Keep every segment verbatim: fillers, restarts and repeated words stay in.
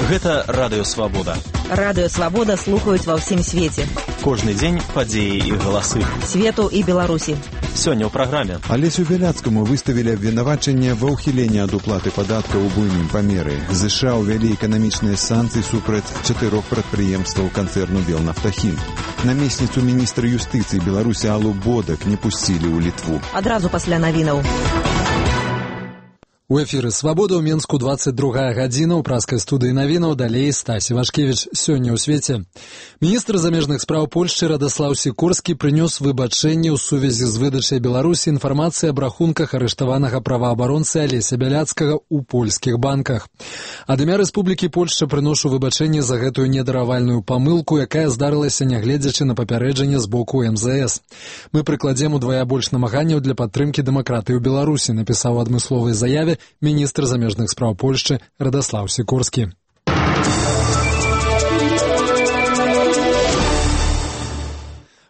Гэта Радыё Свабода. Радыё Свабода слухаюць ва ўсім свеце. Кожны дзень падзеі і галасы. Свету і Беларусі. Сёння ў праграме. Алесю Бяляцкаму выставілі абвінавачанне ва ўхіленні ад уплаты падаткаў у буйным памеры. ЗША ўвялі эканамічныя санкцыі супраць чатырох прадпрыемстваў канцэрну «Белнафтахім». Намесніцу міністра юстыцыі Беларусі Аллу Бодак не пусцілі ў Літву. Адразу пасля навінаў. У эфіры «Свабода» ў Менску двадцать другая гадзіна. У праскай студыі навінаў далей Стась Івашкевіч. Сёння ў свеце. Міністр замежных спраў Польшчы Радаслаў Сікорскі прынёс выбачэнне ў сувязі з выдачай Беларусі інфармацыі аб рахунках арыштаванага праваабаронцы Алеся Бяляцкага ў польскіх банках. Ад імя Рэспублікі Польшча прыношу выбачэнне за гэтую недаравальную памылку, якая здарылася нягледзячы на папярэджанне з боку эм зэ эс. Мы прыкладзем удвая больш намаганняў для падтрымкі дэмакратыі ў Беларусі, напісаў у адмысловай заяве міністр замежных спраў Польшчы Радаслаў Сікорскі.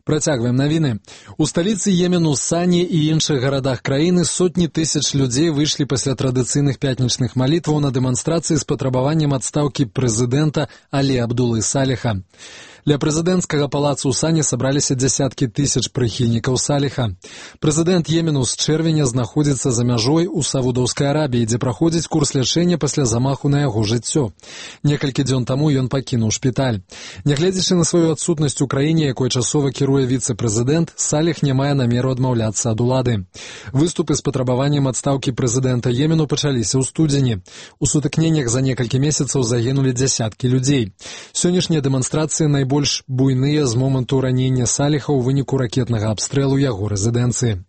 Працягваем навіны. У сталіцы Йемену, Сані і іншых гарадах краіны сотні тысяч людзей выйшлі пасля традыцыйных пятнічных малітваў на дэманстрацыі з патрабаваннем адстаўкі прэзідэнта Алі Абдулы Саліха. Ля прэзідэнцкага палацу ў Сані сабраліся дзясяткі тысяч прыхільнікаў Саліха. Прэзідэнт Йемену з чэрвеня знаходзіцца за мяжой у Саудаўскай Арабіі, дзе праходзіць курс лячэння пасля замаху на яго жыццё. Некалькі дзён таму ён пакінуў шпіталь. Нягледзячы на сваю адсутнасць у краіне, якой часова кіруе віцэ-прэзідэнт, Саліх не мае намеру адмаўляцца ад улады. Выступы з патрабаваннем адстаўкі прэзідэнта Йемену пачаліся ў студзені. У сутыкненнях за некалькі месяцаў загінулі дзясяткі людзей. Сённяшнія дэманстрацыі найбольш больш буйныя з моманту ранення Саліха ў выніку ракетнага абстрэлу яго рэзідэнцыі.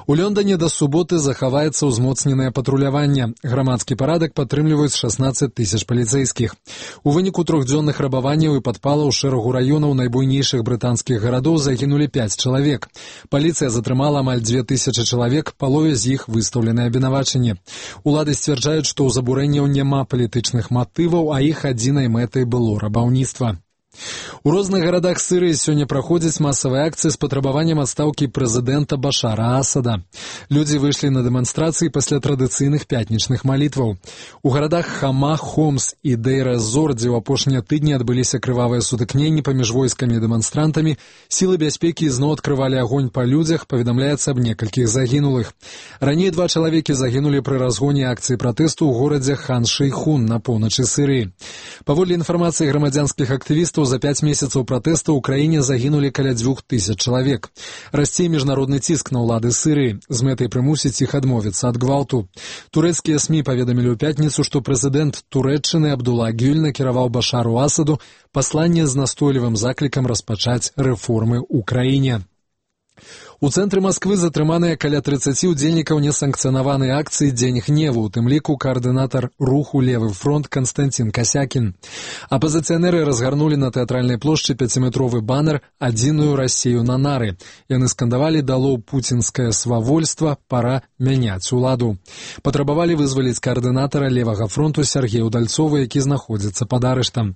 У Лондоне да суботы захаваецца ўзмоцненае патруляванне. Грамадскі парадак падтрымліваюць шаснаццаць тысяч паліцэйскіх. У выніку трохдзённых рабаванняў і падпалаў шэрагу раёнаў найбуйнейшых брытанскіх гарадоў загінулі пяць чалавек. Паліцыя затрымала амаль дзве тысячы чалавек, палове з іх выстаўленыя абвінавачанні. Улады сцвярджаюць, што ў забурэнняў няма палітычных матываў, а іх адзінай мэтай было рабаўніцтва. У розных гарадах Сірыі сёння праходзяць масавыя акцыі з патрабаваннем адстаўкі прэзідэнта Башара Асада. Людзі выйшлі на дэманстрацыі пасля традыцыйных пятнічных малітваў. У гарадах Хама, Хомс і Дейр-эз-Зор, дзе ў апошнія тыдні адбыліся крывавыя сутыкненні паміж войскамі і дэманстрантамі, сілы бяспекі ізноў адкрывалі агонь па людзях, паведамляецца аб некалькіх загінулых. Раней два чалавекі загінулі пры разгоне акцыі пратэсту ў горадзе Хан-Шэйхун на поўначы Сірыі. Паводле інфармацыі грамадзянскіх актывістаў, за пяць месяцаў пратэсту ў краіне загінулі каля дзвюх тысяч чалавек. Расце міжнародны ціск на ўлады Сірыі з мэтай прымусіць іх адмовіцца ад гвалту. Турэцкія СМІ паведамілі ў пятніцу, што прэзідэнт Турэччыны Абдула Гюль накіраваў Башару Асаду пасланне з настойлівым заклікам распачаць рэформы ў краіне. У цэнтры Масквы затрыманыя каля трыццаці ўдзельнікаў несанкцыянаванай акцыі «Дзень гневу», у тым ліку каардынатар руху «Левы фронт» Канстантин Касякін. Апазіцыянеры разгарнулі на тэатральнай плошчы пяціметровы банер «Адзіную Расію на нары». Яны скандавалі «Дало пуцінскае свавольства, пара мяняць уладу». Патрабавалі вызваліць каардынатара «Левага фронту» Сергея Удальцова, які знаходзіцца пад арыштам.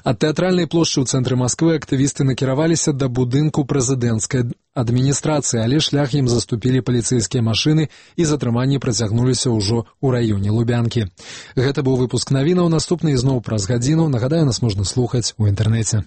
Ад тэатральнай плошчы ў цэнтры Масквы актывісты накіраваліся да будынку прэзідэнцкай адміністрацыі, але шлях ім заступілі паліцэйскія машыны і затрыманні працягнуліся ўжо ў раёне Лубянкі. Гэта быў выпуск навінаў, наступны ізноў праз гадзіну. Нагадаю, нас можна слухаць у інтэрнэце.